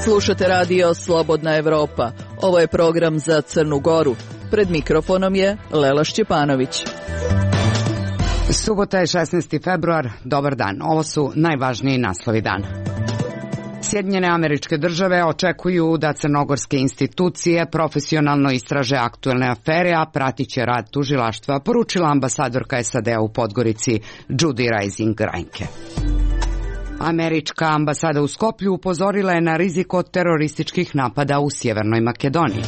Slušate radio Slobodna Evropa. Ovo je program za Crnu Goru. Pred mikrofonom je Lela Šćepanović. Subota je 16. februar. Dobar dan. Ovo su najvažniji naslovi dana. Sjedinjene Američke Države očekuju da crnogorske institucije profesionalno istraže aktuelne afere, a pratit će rad tužilaštva, poručila ambasadorka SAD-a u Podgorici Judy Reising-Reinke. Američka ambasada u Skoplju upozorila je na rizik od terorističkih napada u Sjevernoj Makedoniji.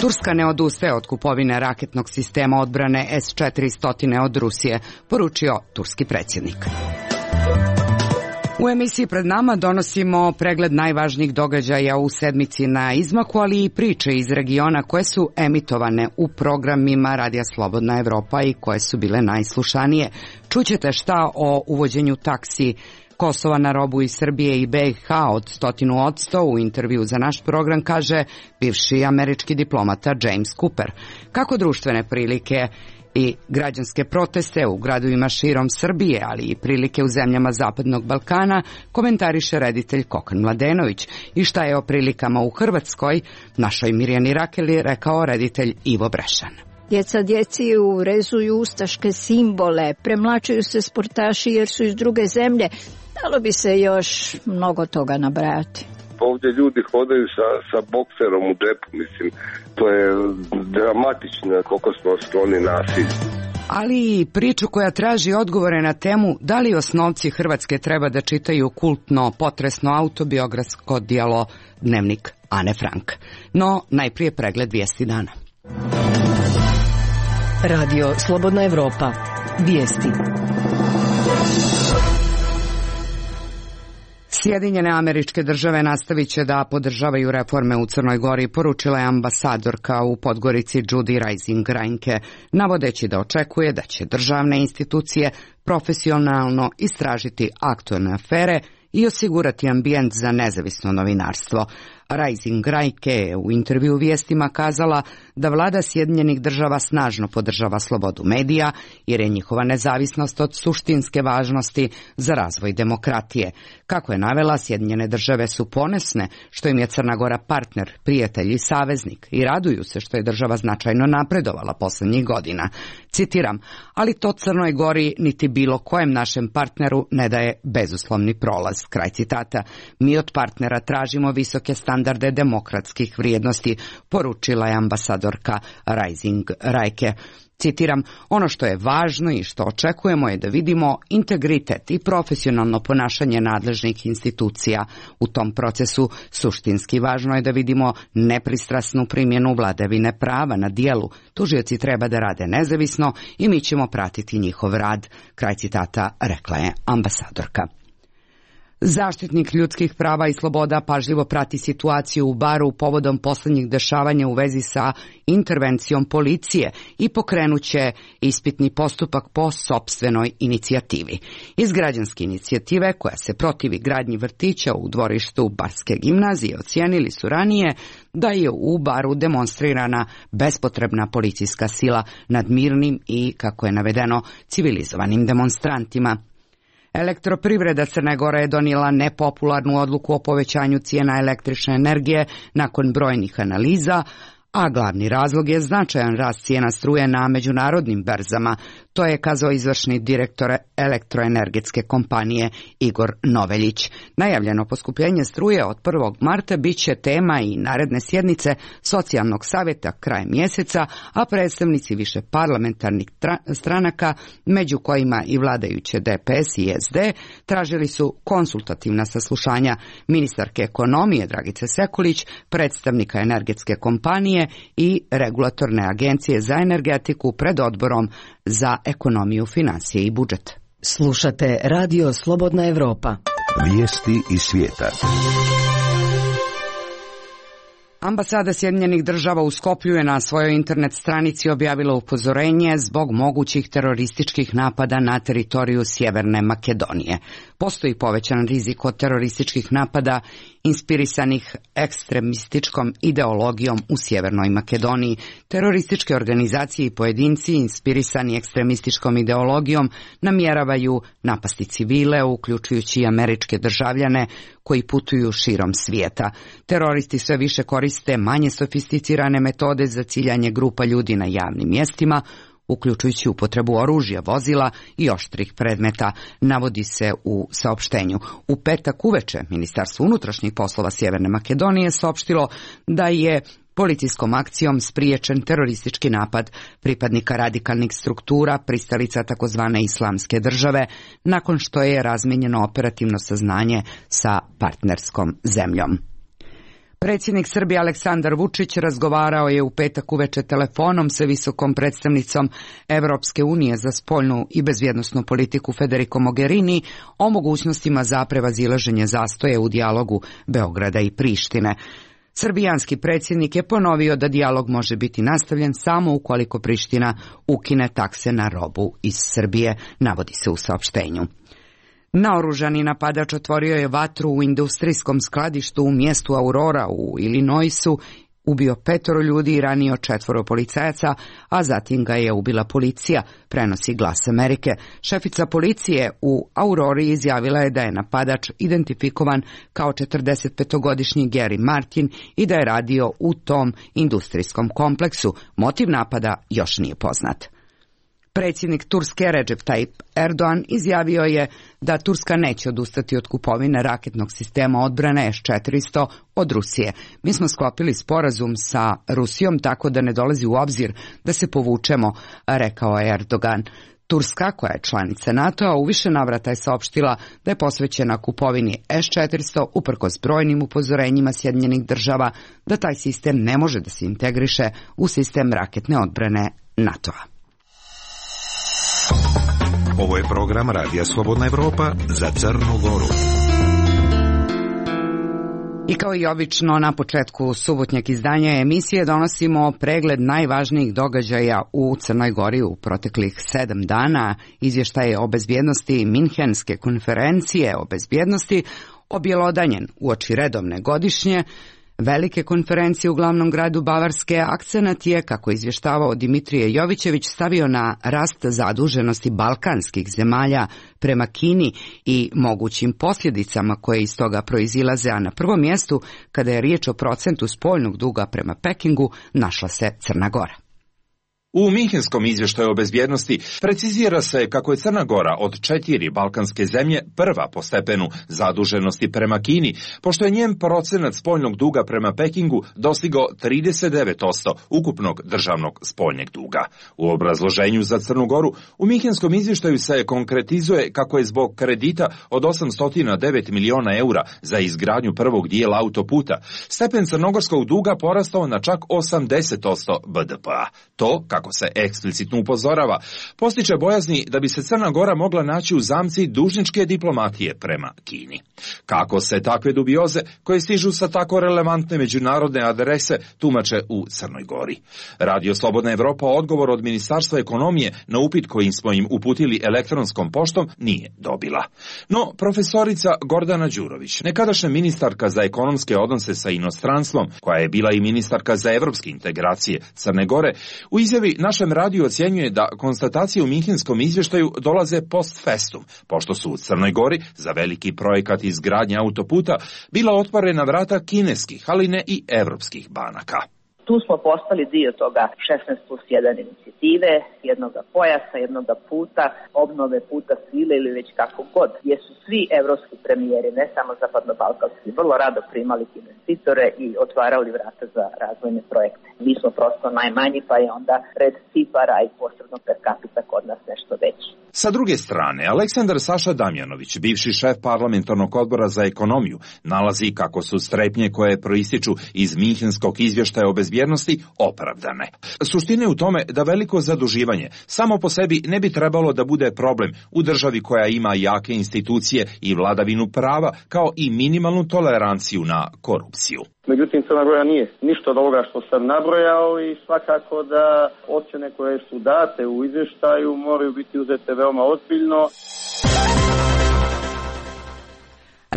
Turska ne odustaje od kupovine raketnog sistema odbrane S-400 od Rusije, poručio turski predsjednik. U emisiji pred nama donosimo pregled najvažnijih događaja u sedmici na izmaku, ali i priče iz regiona koje su emitovane u programima Radija Slobodna Evropa i koje su bile najslušanije. Čućete šta o uvođenju taksi Kosova na robu iz Srbije i BiH od 100%, u intervju za naš program kaže bivši američki diplomata James Cooper. Kako društvene prilike i građanske proteste u gradovima širom Srbije, ali i prilike u zemljama Zapadnog Balkana, komentariše reditelj Kokan Mladenović. I šta je o prilikama u Hrvatskoj, našoj Mirjani Rakeli, rekao reditelj Ivo Brešan. Djeca djeci urezuju ustaške simbole, premlačuju se sportaši jer su iz druge zemlje. Dalo bi se još mnogo toga nabrajati. Ovdje ljudi hodaju sa bokserom u džepu, mislim, to je dramatično koliko smo skloni nasilju. Ali i priču koja traži odgovore na temu da li osnovci Hrvatske treba da čitaju kultno, potresno autobiografsko djelo Dnevnik Ane Frank. No, najprije pregled vijesti dana. Radio Slobodna Evropa. Vijesti. Sjedinjene Američke Države nastavit će da podržavaju reforme u Crnoj Gori, poručila je ambasadorka u Podgorici Judy Reising-Reinke, navodeći da očekuje da će državne institucije profesionalno istražiti aktuelne afere i osigurati ambijent za nezavisno novinarstvo. Reising-Reinke je u intervju vijestima kazala da vlada Sjedinjenih Država snažno podržava slobodu medija jer je njihova nezavisnost od suštinske važnosti za razvoj demokratije. Kako je navela, Sjedinjene Države su ponosne što im je Crna Gora partner, prijatelj i saveznik i raduju se što je država značajno napredovala posljednjih godina. Citiram, ali to Crnoj Gori niti bilo kojem našem partneru ne daje bezuslovni prolaz. Kraj citata. Mi od partnera tražimo visoke standarde demokratskih vrijednosti, poručila je ambasadorka Reising-Reinke. Citiram, ono što je važno i što očekujemo je da vidimo integritet i profesionalno ponašanje nadležnih institucija. U tom procesu suštinski važno je da vidimo nepristrasnu primjenu vladavine prava na djelu. Tužioci treba da rade nezavisno i mi ćemo pratiti njihov rad. Kraj citata, rekla je ambasadorka. Zaštitnik ljudskih prava i sloboda pažljivo prati situaciju u Baru povodom posljednjih dešavanja u vezi sa intervencijom policije i pokrenuće ispitni postupak po sopstvenoj inicijativi. Iz građanske inicijative koja se protivi gradnji vrtića u dvorištu Barske gimnazije ocijenili su ranije da je u Baru demonstrirana bespotrebna policijska sila nad mirnim i, kako je navedeno, civilizovanim demonstrantima. Elektroprivreda Crne Gore je donijela nepopularnu odluku o povećanju cijena električne energije nakon brojnih analiza, a glavni razlog je značajan rast cijena struje na međunarodnim berzama. To je kazao izvršni direktor elektroenergetske kompanije Igor Noveljić. Najavljeno poskupljenje struje od 1. marta bit će tema i naredne sjednice socijalnog savjeta krajem mjeseca, a predstavnici više parlamentarnih stranaka, među kojima i vladajuće DPS i SD, tražili su konsultativna saslušanja ministarke ekonomije Dragice Sekulić, predstavnika energetske kompanije i regulatorne agencije za energetiku pred odborom za ekonomiju, financije i budžet. Slušate Radio Slobodna Evropa. Vijesti iz svijeta. Ambasada Sjedinjenih Država u Skoplju je na svojoj internet stranici objavila upozorenje zbog mogućih terorističkih napada na teritoriju Sjeverne Makedonije. Postoji povećan rizik od terorističkih napada inspirisanih ekstremističkom ideologijom u Sjevernoj Makedoniji. Terorističke organizacije i pojedinci inspirisani ekstremističkom ideologijom namjeravaju napasti civile, uključujući i američke državljane koji putuju širom svijeta. Teroristi sve više koriste manje sofisticirane metode za ciljanje grupa ljudi na javnim mjestima, uključujući upotrebu oružja, vozila i oštrih predmeta, navodi se u saopštenju. U petak uveče Ministarstvo unutrašnjih poslova Sjeverne Makedonije saopštilo da je policijskom akcijom spriječen teroristički napad pripadnika radikalnih struktura, pristalica takozvane islamske države, nakon što je razmijenjeno operativno saznanje sa partnerskom zemljom. Predsjednik Srbije Aleksandar Vučić razgovarao je u petak uveče telefonom sa visokom predstavnicom Evropske unije za spoljnu i bezbjednosnu politiku Federico Mogherini o mogućnostima za prevazilaženje zastoje u dijalogu Beograda i Prištine. Srbijanski predsjednik je ponovio da dijalog može biti nastavljen samo ukoliko Priština ukine takse na robu iz Srbije, navodi se u saopštenju. Naoružani napadač otvorio je vatru u industrijskom skladištu u mjestu Aurora u Illinoisu, ubio 5 ljudi i ranio 4 policajaca, a zatim ga je ubila policija, prenosi Glas Amerike. Šefica policije u Aurori izjavila je da je napadač identifikovan kao 45-godišnji Gary Martin i da je radio u tom industrijskom kompleksu. Motiv napada još nije poznat. Predsjednik Turske Recep Tayyip Erdogan izjavio je da Turska neće odustati od kupovine raketnog sistema odbrane S-400 od Rusije. Mi smo sklopili sporazum sa Rusijom tako da ne dolazi u obzir da se povučemo, rekao je Erdogan. Turska, koja je članica NATO-a, u više navrata je saopštila da je posvećena kupovini S-400 uprkos brojnim upozorenjima Sjedinjenih država da taj sistem ne može da se integriše u sistem raketne odbrane NATO-a. Ovo je program Radija Slobodna Evropa za Crnu Goru. I kao i obično na početku subotnjeg izdanja emisije donosimo pregled najvažnijih događaja u Crnoj Gori u proteklih 7 dana, izvještaje o bezbjednosti Minhenske konferencije o bezbjednosti, objelodanjen uoči redovne godišnje velike konferencije u glavnom gradu Bavarske. Akcenat je, kako izvještavao Dimitrije Jovićević, stavio na rast zaduženosti balkanskih zemalja prema Kini i mogućim posljedicama koje iz toga proizilaze, a na prvom mjestu, kada je riječ o procentu spoljnog duga prema Pekingu, našla se Crna Gora. U Minhenskom izvještaju o bezbjednosti precizira se kako je Crna Gora od 4 balkanske zemlje prva po stepenu zaduženosti prema Kini, pošto je njen procenat spoljnog duga prema Pekingu dostigao 39% ukupnog državnog spoljnjeg duga. U obrazloženju za Crnu Goru u Minhenskom izvještaju se konkretizuje kako je zbog kredita od 809 miliona eura za izgradnju prvog dijela autoputa stepen crnogorskog duga porastao na čak 80% BDP-a. To, kako se eksplicitno upozorava, postiče bojazni da bi se Crna Gora mogla naći u zamci dužničke diplomatije prema Kini. Kako se takve dubioze, koje stižu sa tako relevantne međunarodne adrese, tumače u Crnoj Gori? Radio Slobodna Evropa odgovor od Ministarstva ekonomije na upit kojim smo im uputili elektronskom poštom nije dobila. No, profesorica Gordana Đurović, nekadašnja ministarka za ekonomske odnose sa inostranstvom, koja je bila i ministarka za evropske integracije Crne Gore, u izjavi našem radiju ocjenjuje da konstatacije u Minhenskom izvještaju dolaze post festum, pošto su u Crnoj Gori za veliki projekat izgradnje autoputa bila otvorena vrata kineskih, ali ne i evropskih banaka. Tu smo postali dio toga 16+1 inicijative, jednoga pojasa, jednoga puta, obnove puta svile ili već kako god, gdje su svi evropski premijeri, ne samo zapadno-balkanski, vrlo rado primali investitore i otvarali vrata za razvojne projekte. Mi smo prosto najmanji, pa je onda red cifara i posebno per capita kod nas nešto veći. Sa druge strane, Aleksandar Saša Damjanović, bivši šef parlamentarnog odbora za ekonomiju, nalazi kako su strepnje koje proističu iz Minhenskog izvještaja o bezbjednosti opravdane. Suština je u tome da veliko zaduživanje samo po sebi ne bi trebalo da bude problem u državi koja ima jake institucije i vladavinu prava, kao i minimalnu toleranciju na korupciju. Međutim, Crna Gora nije ništa od ovoga što sam nabrojao i svakako da ocjene koje su date u izvještaju moraju biti uzete veoma ozbiljno.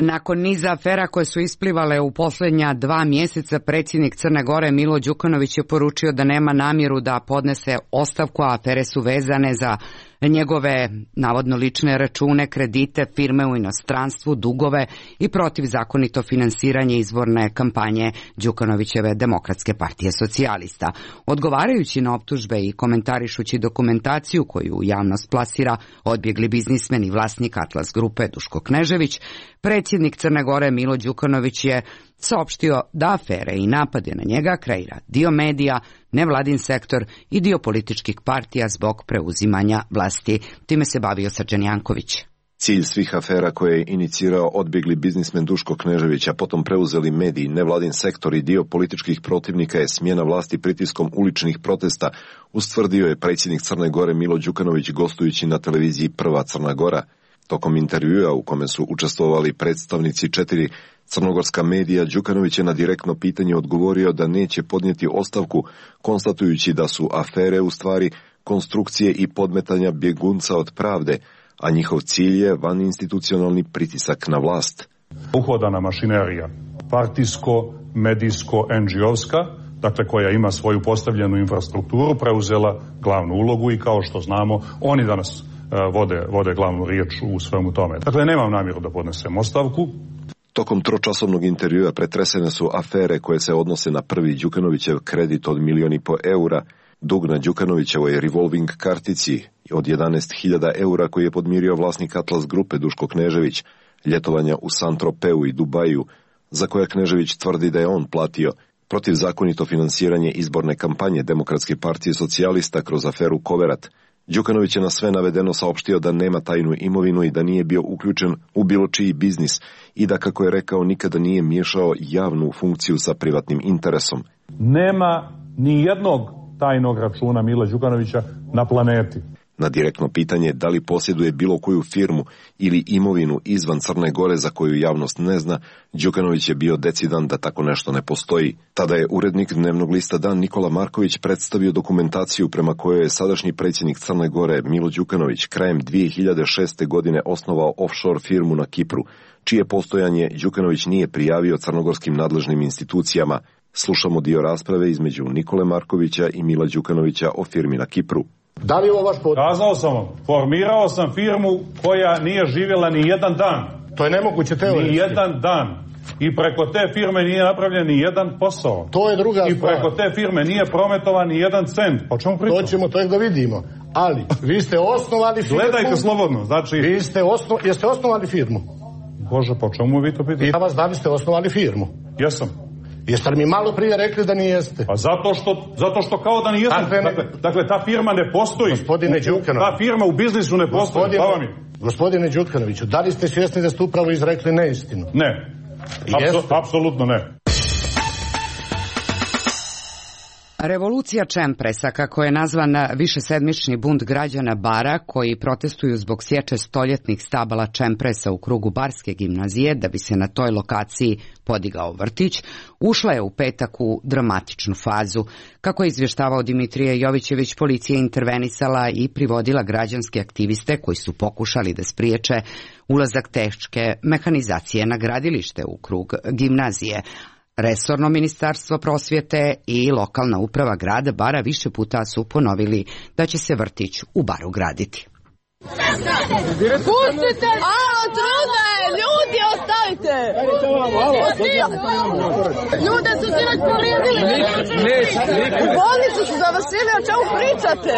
Nakon niza afera koje su isplivale u posljednja 2 mjeseca, predsjednik Crne Gore Milo Đukanović je poručio da nema namjeru da podnese ostavku, a afere su vezane za njegove navodno lične račune, kredite, firme u inostranstvu, dugove i protivzakonito finansiranje izborne kampanje Đukanovićeve Demokratske partije socijalista. Odgovarajući na optužbe i komentarišući dokumentaciju koju javnost plasira odbjegli biznismen i vlasnik Atlas grupe Duško Knežević, predsjednik Crne Gore Milo Đukanović je saopštio da afere i napade na njega kreira dio medija, nevladin sektor i dio političkih partija zbog preuzimanja vlasti. Time se bavio Srđan Janković. Cilj svih afera koje je inicirao odbjegli biznismen Duško Knežević, a potom preuzeli mediji, nevladin sektor i dio političkih protivnika je smjena vlasti pritiskom uličnih protesta, ustvrdio je predsjednik Crne Gore Milo Đukanović gostujući na televiziji Prva Crna Gora. Tokom intervjua u kome su učestvovali predstavnici 4 crnogorska medija, Đukanović je na direktno pitanje odgovorio da neće podnijeti ostavku, konstatujući da su afere u stvari konstrukcije i podmetanja bjegunca od pravde, a njihov cilj je vaninstitucionalni pritisak na vlast. Uhodana mašinerija, partijsko, medijsko, NGO-ska, dakle koja ima svoju postavljenu infrastrukturu, preuzela glavnu ulogu i kao što znamo, oni danas vode glavnu riječ u svemu tome. Dakle, nemam namjeru da podnesem ostavku. Tokom tročasovnog intervjua pretresene su afere koje se odnose na prvi Đukanovićev kredit od 1,5 milijuna eura, dug na Đukanovićevoj revolving kartici od 11.000 eura koji je podmirio vlasnik Atlas grupe Duško Knežević, ljetovanja u Saint-Tropeu i Dubaju, za koja Knežević tvrdi da je on platio, protivzakonito finansiranje izborne kampanje Demokratske partije socijalista kroz aferu Koverat. Đukanović je na sve navedeno saopštio da nema tajnu imovinu i da nije bio uključen u bilo čiji biznis i da, kako je rekao, nikada nije miješao javnu funkciju sa privatnim interesom. Nema ni jednog tajnog računa Mila Đukanovića na planeti. Na direktno pitanje da li posjeduje bilo koju firmu ili imovinu izvan Crne Gore za koju javnost ne zna, Đukanović je bio decidan da tako nešto ne postoji. Tada je urednik dnevnog lista Dan Nikola Marković predstavio dokumentaciju prema kojoj je sadašnji predsjednik Crne Gore Milo Đukanović krajem 2006. godine osnovao offshore firmu na Kipru, čije postojanje Đukanović nije prijavio crnogorskim nadležnim institucijama. Slušamo dio rasprave između Nikole Markovića i Mila Đukanovića o firmi na Kipru. Da li je ovo vaš potpis? Kazao sam vam, formirao sam firmu koja nije živjela ni jedan dan. To je nemoguće teoretski. Ni jedan dan. I preko te firme nije napravljen ni jedan posao. To je druga stvar. I preko te firme nije prometovan ni jedan cent. O čemu pričamo? To ćemo tek da vidimo. Ali, vi ste osnovali firmu. Gledajte slobodno, znači... Jeste osnovali firmu? Bože, po čemu vi to pitate? Ja vas da li ste osnovali firmu? Jesam. Jeste li mi malo prije rekli da nijeste? Pa zato što kao da nijesam. Dakle, ta firma ne postoji. Gospodine Đukanović. Ta firma u biznisu ne postoji. Gospodine Đukanoviću, da li ste svjesni da ste upravo izrekli neistinu? Ne. Apsolutno ne. Revolucija Čempresa, kako je nazvan višesedmični bunt građana Bara koji protestuju zbog sječe stoljetnih stabala Čempresa u krugu Barske gimnazije da bi se na toj lokaciji podigao vrtić, ušla je u petak u dramatičnu fazu. Kako je izvještavao Dimitrije Jovićević, policija je intervenisala i privodila građanske aktiviste koji su pokušali da spriječe ulazak teške mehanizacije na gradilište u krug gimnazije. Resorno ministarstvo prosvjete i lokalna uprava grada Bara više puta su ponovili da će se vrtić u Baru graditi. Pustite! Alo, trudno je! Ljudi, ostavite! Ljude su sinoć polizili! U bolnicu su završili, o čemu pričate?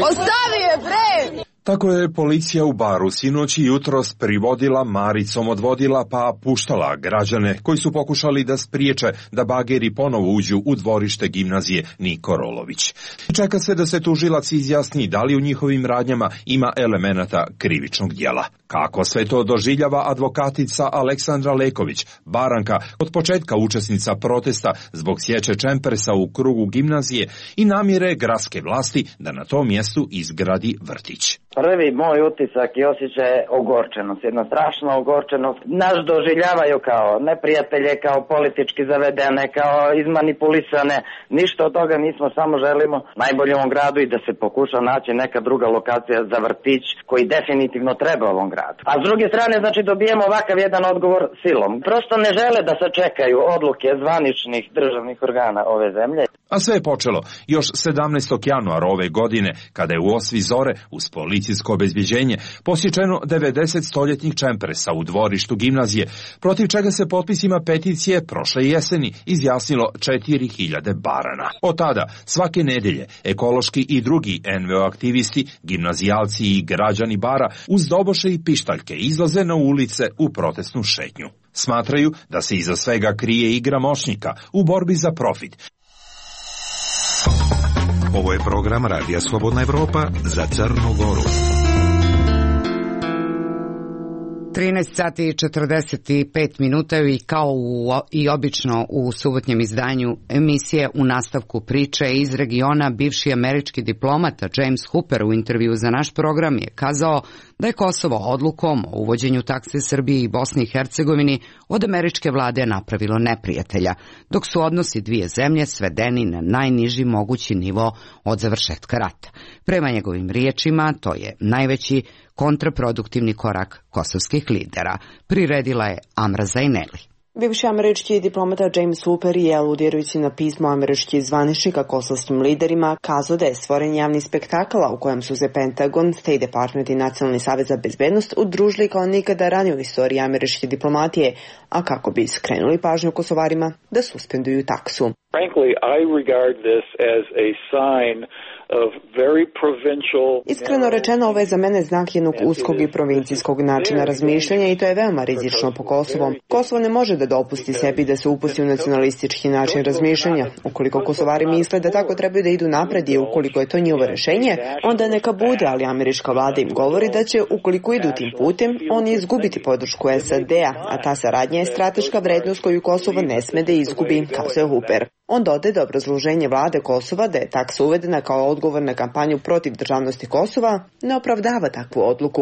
Ostavi je, bre! Tako je policija u Baru sinoć i jutros privodila, maricom odvodila pa puštala građane koji su pokušali da spriječe da bageri ponovo uđu u dvorište gimnazije Niko Rolović. Čeka se da se tužilac izjasni da li u njihovim radnjama ima elemenata krivičnog djela. Kako sve to doživljava advokatica Aleksandra Leković, Baranka, od početka učesnica protesta zbog sječe Čempresa u krugu gimnazije i namjere gradske vlasti da na tom mjestu izgradi vrtić. Prvi moj utisak i osjećaj je ogorčenost, jedna strašna ogorčenost. Nas doživljavaju kao neprijatelje, kao politički zavedene, kao izmanipulisane. Ništa od toga nismo, samo želimo najbolje u ovom gradu i da se pokuša naći neka druga lokacija za vrtić koji definitivno treba ovom gradu. radu. A s druge strane, znači, dobijemo ovakav jedan odgovor silom. Prosto ne žele da se čekaju odluke zvaničnih državnih organa ove zemlje. A sve je počelo još 17. januara ove godine, kada je u osvi zore, uz policijsko obezbjeđenje, posječeno 90 stoljetnih čempresa u dvorištu gimnazije, protiv čega se potpisima peticije prošle jeseni izjasnilo 4000 barana. Od tada, svake nedelje, ekološki i drugi NVO aktivisti, gimnazijalci i građani Bara uz doboše i pištaljke izlaze na ulice u protestnu šetnju. Smatraju da se iza svega krije igra moćnika u borbi za profit. Ovo je program Radija Slobodna Evropa za Crnu Goru. 13 sati i 45 minuta i kao i obično u subotnjem izdanju emisije u nastavku priče iz regiona, bivši američki diplomata James Hooper u intervju za naš program je kazao da je Kosovo odlukom o uvođenju takse Srbiji i Bosni i Hercegovini od američke vlade napravilo neprijatelja, dok su odnosi dvije zemlje svedeni na najniži mogući nivo od završetka rata. Prema njegovim riječima, to je najveći kontraproduktivni korak kosovskih lidera, priredila je Amra Zaineli. Bivši američki diplomata James Hooper je, aludirajući na pismo američkih zvaničnika kosovskim liderima, kazao da je stvoren javni spektakl u kojem su se Pentagon, State Department i Nacionalni savez za bezbednost udružili kao nikada ranije u istoriji američke diplomatije, a kako bi skrenuli pažnju Kosovarima da suspenduju taksu. Frankly, I regard this as a sign of very provincial... Iskreno rečeno, ovo je za mene znak jednog uskog i provincijskog načina razmišljanja i to je veoma rizično po Kosovo. Kosovo ne može da dopusti sebi da se upusti u nacionalistički način razmišljanja. Ukoliko Kosovari misle da tako trebaju da idu napred i ukoliko je to njihovo rešenje, onda neka bude, ali američka vlada im govori da će, ukoliko idu tim putem, oni izgubiti podršku SAD-a, a ta saradnja je strateška vrednost koju Kosovo ne sme da izgubi, kazao Hooper. On dodaje da obrazloženje vlade Kosova da je taksa uvedena kao odgovor na kampanju protiv državnosti Kosova ne opravdava takvu odluku.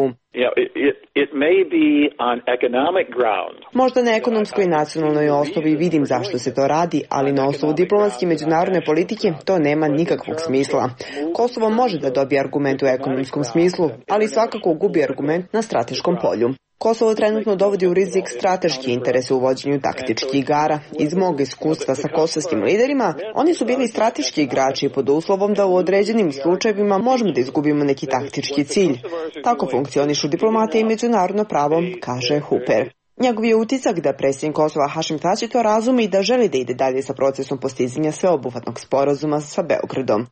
Možda na ekonomskoj i nacionalnoj osnovi vidim zašto se to radi, ali na osnovu diplomatske međunarodne politike to nema nikakvog smisla. Kosovo može da dobije argument u ekonomskom smislu, ali svakako gubi argument na strateškom polju. Kosovo trenutno dovodi u rizik strateški interes u uvođenju taktičkih igara. Iz mog iskustva sa kosovskim liderima, oni su bili strateški igrači pod uslovom da u određenim slučajevima možemo da izgubimo neki taktički cilj. Tako funkcionišu diplomatija i međunarodno pravo, kaže Hooper. Njegov je utisak da predsjednik Kosova Hašim Tači to razumi i da želi da ide dalje sa procesom postizanja sveobuhvatnog sporazuma sa Beogradom.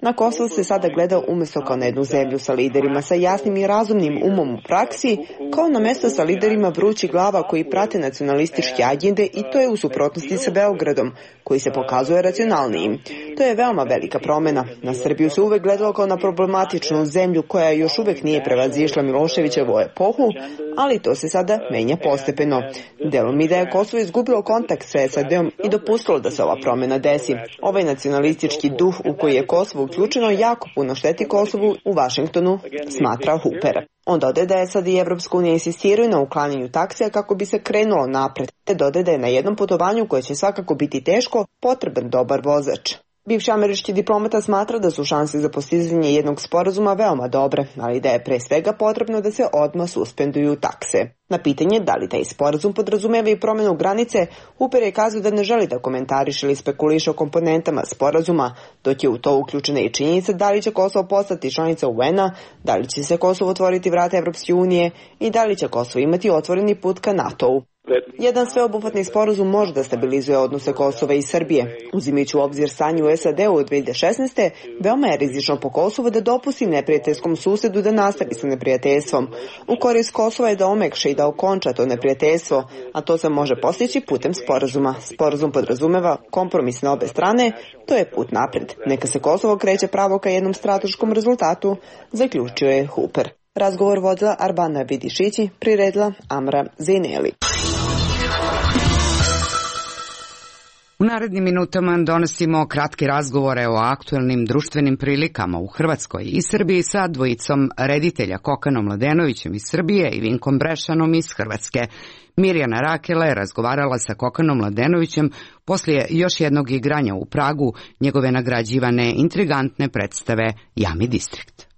Na Kosovo se sada gleda umjesto kao na jednu zemlju sa liderima sa jasnim i razumnim umom u praksi, kao na mjesto sa liderima vrućih glava koji prate nacionalističke agende i to je u suprotnosti sa Beogradom, koji se pokazuje racionalnijim. To je veoma velika promjena. Na Srbiju se uvek gledalo kao na problematičnu zemlju koja još uvek nije prevazišla Miloševićevu epohu, ali to se sada menja postepeno. Delom mi da je Kosovo izgubilo kontakt sa SAD-om i dopustilo da se ova promjena desi. Ovaj nacionalistički duh u koji je Kosovo uključeno jako puno šteti Kosovu u Vašingtonu, smatra Hooper. On dodaje da SAD i Evropska unija insistiraju na uklanjanju taksija kako bi se krenulo napred, te dodaje da je na jednom putovanju koje će svakako biti teško potreban dobar vozač. Bivši američki diplomata smatra da su šanse za postizanje jednog sporazuma veoma dobre, ali da je pre svega potrebno da se odmah suspenduju takse. Na pitanje da li taj sporazum podrazumeva i promjenu granice, Hooper je kazao da ne želi da komentariše ili spekuliše o komponentama sporazuma, dok je u to uključena i činjenica da li će Kosovo postati članica UN-a, da li će se Kosovo otvoriti vrata Evropske unije i da li će Kosovo imati otvoreni put ka NATO-u. Jedan sveobuhvatni sporazum može da stabilizuje odnose Kosova i Srbije. Uzimajući u obzir stanje u SAD-u od 2016. veoma je rizično po Kosovu da dopusti neprijateljskom susedu da nastavi sa neprijateljstvom. U korist Kosova je da omekša i da okonča to neprijateljstvo, a to se može postići putem sporazuma. Sporazum podrazumeva kompromis na obe strane, to je put napred. Neka se Kosovo kreće pravo ka jednom strateškom rezultatu, zaključio je Hooper. Razgovor vodila Arbana Vidišići, priredila Amra Zaineli. U narednim minutama donosimo kratke razgovore o aktuelnim društvenim prilikama u Hrvatskoj i Srbiji sa dvojicom reditelja Kokanom Mladenovićem iz Srbije i Vinkom Brešanom iz Hrvatske. Mirjana Rakela je razgovarala sa Kokanom Mladenovićem poslije još jednog igranja u Pragu njegove nagrađivane intrigantne predstave Jami Distrikt.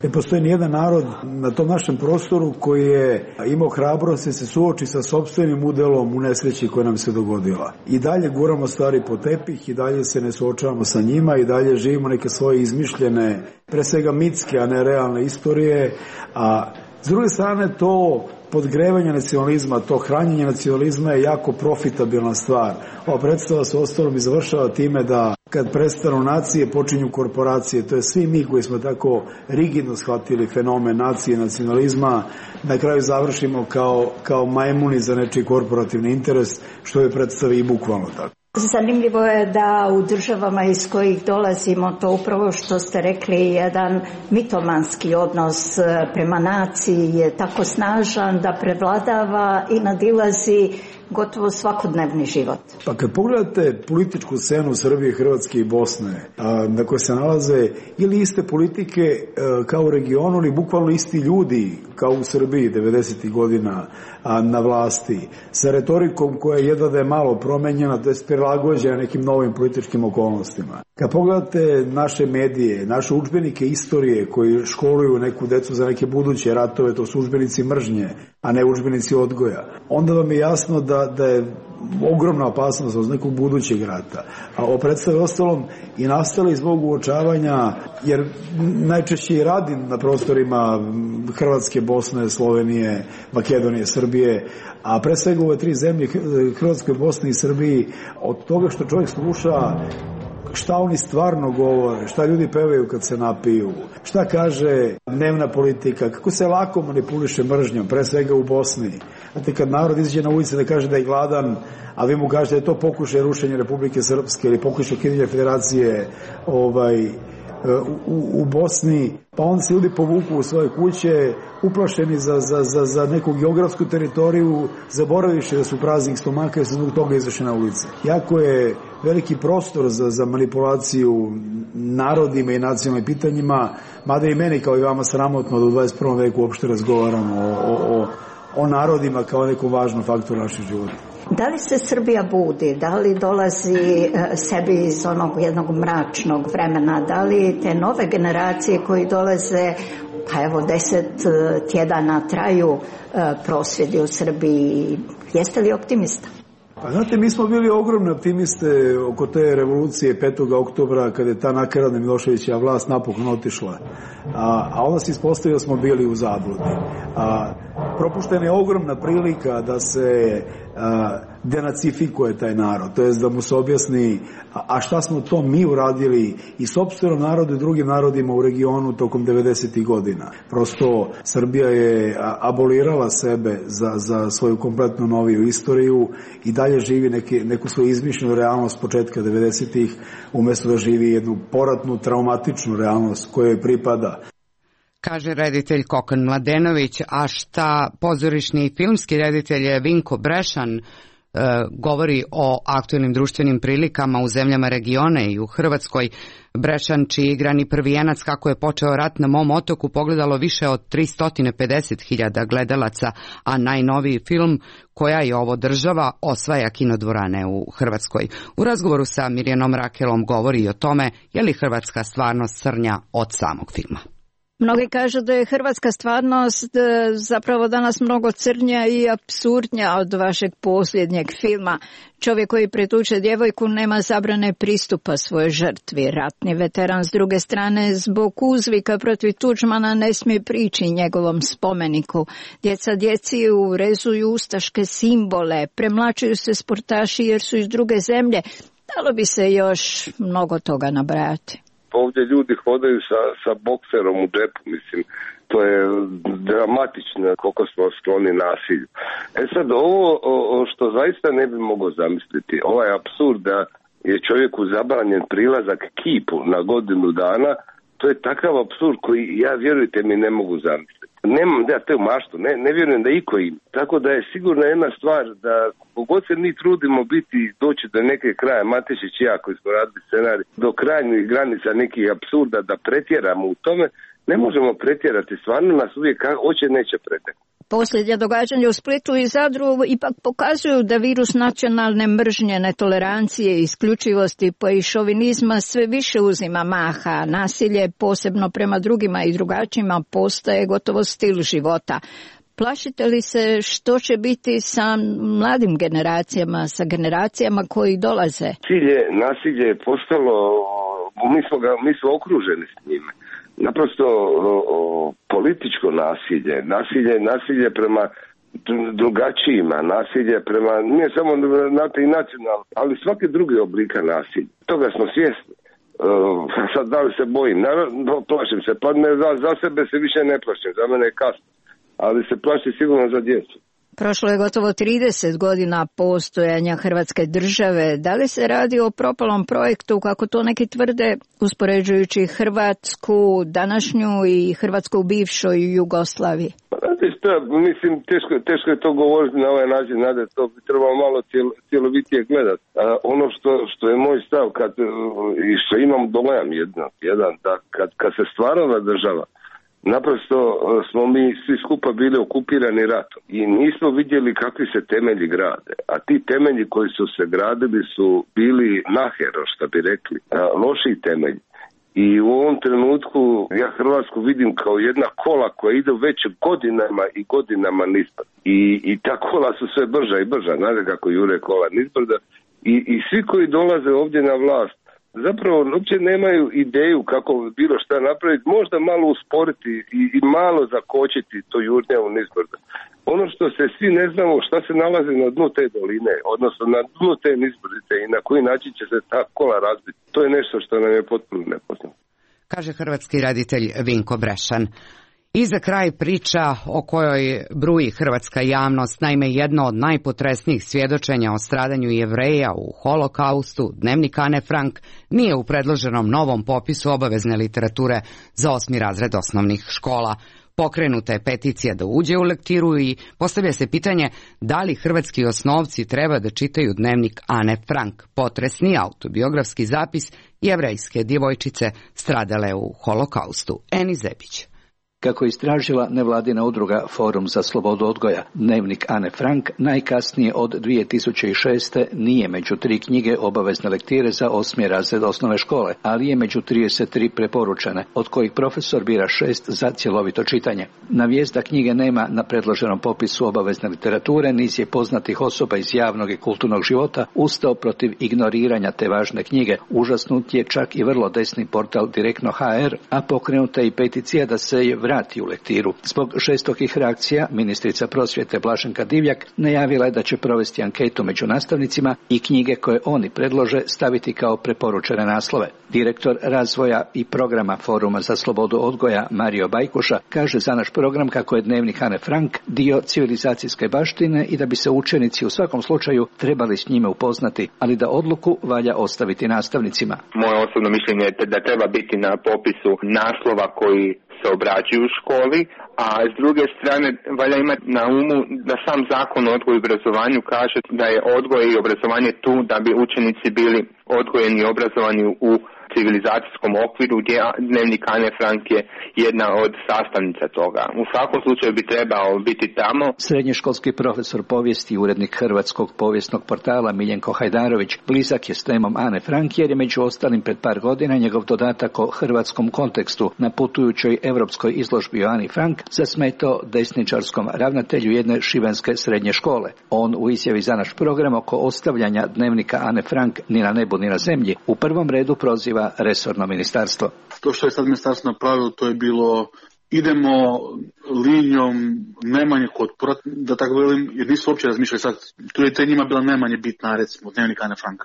Ne postoji nijedan narod na tom našem prostoru koji je imao hrabrost da se suoči sa sopstvenim udelom u nesreći koja nam se dogodila. I dalje guramo stvari po tepih, i dalje se ne suočavamo sa njima, i dalje živimo neke svoje izmišljene, pre svega mitske, a ne realne istorije, a s druge strane to podgrevanje nacionalizma, to hranjenje nacionalizma je jako profitabilna stvar. Ova predstava se ostalom i završava time da kad prestanu nacije počinju korporacije. To je svi mi koji smo tako rigidno shvatili fenomen nacije i nacionalizma, na kraju završimo kao majmuni za nečiji korporativni interes, što je predstavi i bukvalno tako. Zanimljivo je da u državama iz kojih dolazimo, to upravo što ste rekli, jedan mitomanski odnos prema naciji je tako snažan da prevladava i nadilazi gotovo svakodnevni život. Pa kad pogledate političku scenu Srbije, Hrvatske i Bosne, na kojoj se nalaze ili iste politike kao u regionu, ili bukvalno isti ljudi kao u Srbiji 90. godina na vlasti, sa retorikom koja je jedva da je malo promenjena, to je prilagođena nekim novim političkim okolnostima. Kad pogledate naše medije, naše udžbenike istorije koji školuju neku decu za neke buduće ratove, to su udžbenici mržnje, a ne udžbenici odgoja, onda vam je jasno da je ogromna opasnost od nekog budućeg rata. A o predstavi ostalom i nastali zbog uočavanja, jer najčešće i radim na prostorima Hrvatske, Bosne, Slovenije, Makedonije, Srbije, a pre svega ove tri zemlje, Hrvatskoj, Bosni i Srbiji, od toga što čovjek sluša šta oni stvarno govore, šta ljudi pevaju kad se napiju, šta kaže dnevna politika, kako se lako manipuliše mržnjom, pre svega u Bosni. Znate, kad narod izađe na ulici da kaže da je gladan, a vi mu kažete da je to pokušaj rušenja Republike Srpske ili pokušaj ukidanja federacije u Bosni, pa onda se ljudi povuku u svoje kuće, uplašeni za neku geografsku teritoriju, zaboraviše da su praznih stomaka i se zbog toga izašli na ulice. Jako je veliki prostor za manipulaciju narodima i nacionalnim pitanjima, mada i meni kao i vama sramotno da u 21. veku uopšte razgovaramo o narodima kao nekom važnom faktoru našeg života. Da li se Srbija budi, da li dolazi sebi iz onog jednog mračnog vremena, da li te nove generacije koji dolaze, pa evo 10 tjedana traju prosvjedi u Srbiji, jeste li optimista? Pa znate, mi smo bili ogromne optimiste oko te revolucije 5. oktobra kada je ta nakaradna Miloševićeva vlast napokon otišla. A onda se ispostavilo smo bili u zabludi. Propuštena je ogromna prilika da se denacifikuje taj narod, to jest da mu se objasni a šta smo to mi uradili i sopstvenom narodu i drugim narodima u regionu tokom 90. godina. Prosto Srbija je abolirala sebe za svoju kompletno noviju istoriju i dalje živi neku svoju izmišljenu realnost početka 90. umjesto da živi jednu poratnu, traumatičnu realnost kojoj pripada. Kaže reditelj Kokan Mladenović, a šta pozorišni i filmski reditelj Vinko Brešan govori o aktuelnim društvenim prilikama u zemljama regiona i u Hrvatskoj. Brešan, čiji igrani prvijenac kako je počeo rat na mom otoku, pogledalo više od 350.000 gledalaca, a najnoviji film Koja je ovo država osvaja kinodvorane u Hrvatskoj. U razgovoru sa Mirjanom Rakelom govori i o tome je li hrvatska stvarnost crnja od samog filma. Mnogi kažu da je hrvatska stvarnost zapravo danas mnogo crnja i apsurdnja od vašeg posljednjeg filma. Čovjek koji pretuče djevojku nema zabrane pristupa svojoj žrtvi. Ratni veteran s druge strane zbog uzvika protiv Tuđmana ne smije prići njegovom spomeniku. Djeca djeci urezuju ustaške simbole, premlačuju se sportaši jer su iz druge zemlje. Dalo bi se još mnogo toga nabrajati. Ovdje ljudi hodaju sa bokserom u džepu, mislim, to je dramatično koliko smo skloni nasilju. Sad ovo što zaista ne bi mogao zamisliti, ovaj apsurd da je čovjeku zabranjen prilazak kipu na godinu dana, to je takav apsurd koji ja, vjerujte mi, ne mogu zamisliti. Nemam da te maštu, ne vjerujem da iko ima. Tako da je sigurno jedna stvar da kogod se mi trudimo doći do neke kraja, Matešić i ja koji smo radili scenarij, do krajnjih granica nekih apsurda da pretjeramo u tome, ne možemo pretjerati, stvarno nas uvijek hoće neće pretjerati. Posljednja događanja u Splitu i Zadru ipak pokazuju da virus nacionalne mržnje, netolerancije, isključivosti pa i šovinizma sve više uzima maha. Nasilje, posebno prema drugima i drugačijima, postaje gotovo stil života. Plašite li se što će biti sa mladim generacijama, sa generacijama koji dolaze? Nasilje je postalo, mi smo okruženi s njime. Naprosto političko nasilje prema drugačijima, nasilje prema, nije samo i nacionalno, ali svake druge oblika nasilja. Toga smo svjesni. Sad da li se bojim? Naravno, plašim se, pa za sebe se više ne plašim, za mene je kasno, ali se plašim sigurno za djecu. Prošlo je gotovo 30 godina postojanja Hrvatske države. Da li se radi o propalom projektu, kako to neki tvrde, uspoređujući Hrvatsku današnju i Hrvatsku u bivšoj Jugoslaviji? Mislim, teško je to govoriti na ovaj način, nade, to bi trebalo malo cjelovitije gledati. Ono što je moj stav, i što imam dojam jedan da kad se stvarala država, naprosto smo mi svi skupa bili okupirani ratom i nismo vidjeli kakvi se temelji grade, a ti temelji koji su se gradili su bili nahero, što bi rekli, loši temelji. I u ovom trenutku ja Hrvatsku vidim kao jedna kola koja ide već godinama i godinama nizbrdo. I ta kola su sve brža i brža, znate kako jure kola nizbrdo. I svi koji dolaze ovdje na vlast zapravo uopće nemaju ideju kako bilo šta napraviti, možda malo usporiti i malo zakočiti to jurnje u nizbrdo. Ono što se svi ne znamo šta se nalazi na dnu te doline, odnosno na dnu te nizbrdice i na koji način će se ta kola razbiti. To je nešto što nam je potpuno nepoznato. Kaže hrvatski reditelj Vinko Brešan. I za kraj priča o kojoj bruji hrvatska javnost, naime jedno od najpotresnijih svjedočenja o stradanju Jevreja u Holokaustu, Dnevnik Ane Frank, nije u predloženom novom popisu obavezne literature za 8. razred osnovnih škola. Pokrenuta je peticija da uđe u lektiru i postavlja se pitanje da li hrvatski osnovci treba da čitaju Dnevnik Ane Frank, potresni autobiografski zapis jevrejske djevojčice stradale u Holokaustu. Eni Zebić. Kako je istražila nevladina udruga Forum za slobodu odgoja, Dnevnik Ane Frank najkasnije od 2006. nije među 3 knjige obavezne lektire za 8. razred osnovne škole, ali je među 33 preporučene, od kojih profesor bira 6 za cjelovito čitanje. Na vijest da knjige nema na predloženom popisu obavezne literature, niz je poznatih osoba iz javnog i kulturnog života ustao protiv ignoriranja te važne knjige. Užasnut je čak i vrlo desni portal Direktno.hr, a pokrenuta je i peticija da se je vrati u lektiru. Zbog žestokih reakcija, ministrica prosvjete Blaženka Divjak najavila je da će provesti anketu među nastavnicima i knjige koje oni predlože staviti kao preporučene naslove. Direktor razvoja i programa Foruma za slobodu odgoja Mario Bajkuša kaže za naš program kako je Dnevnik Ane Frank dio civilizacijske baštine i da bi se učenici u svakom slučaju trebali s njime upoznati, ali da odluku valja ostaviti nastavnicima. Moje osobno mišljenje je da treba biti na popisu naslova koji se obrađuju u školi, a s druge strane valja imati na umu da sam zakon o odgoju i obrazovanju kaže da je odgoj i obrazovanje tu da bi učenici bili odgojeni i obrazovani u civilizacijskom okviru gdje Dnevnik Ane Frank je jedna od sastavnica toga. U svakom slučaju bi trebao biti tamo. Srednjoškolski profesor povijesti i urednik Hrvatskog povijesnog portala Miljenko Hajdarović blizak je s temom Ane Frank jer je među ostalim pred par godina njegov dodatak o hrvatskom kontekstu na putujućoj europskoj izložbi o Ani Frank zasmetao desničarskom ravnatelju jedne šibenske srednje škole. On u izjavi za naš program oko ostavljanja Dnevnika Ane Frank ni na nebu ni na zemlji u prvom redu proziva resorno ministarstvo. To što je sad ministarstvo napravilo, to je bilo idemo linijom najmanje otpora, da tako velim, jer nisu uopće razmišljali sad, tu je te njima bila najmanje bitna, recimo, Dnevnik Ane Frank.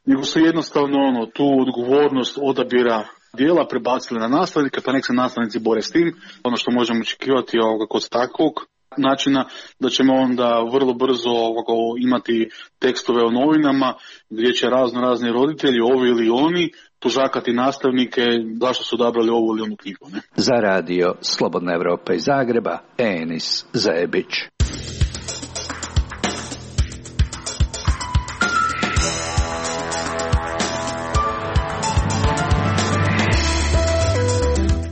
Nego su jednostavno tu odgovornost odabira dijela prebacili na nastavnike, pa nek se nastavnici bore s tim. Ono što možemo očekivati kod takvog načina da ćemo onda vrlo brzo imati tekstove o novinama gdje će razni roditelji, ovi ili oni, tužakati nastavnike zašto su odabrali ovu ili onu knjigu. Ne? Za radio Slobodna Evropa iz Zagreba, Enis Zebić.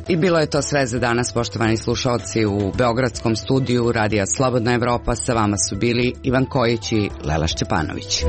I bilo je to sve za danas, poštovani slušalci. U beogradskom studiju Radija Slobodna Evropa sa vama su bili Ivan Kojić i Lela Šćepanović.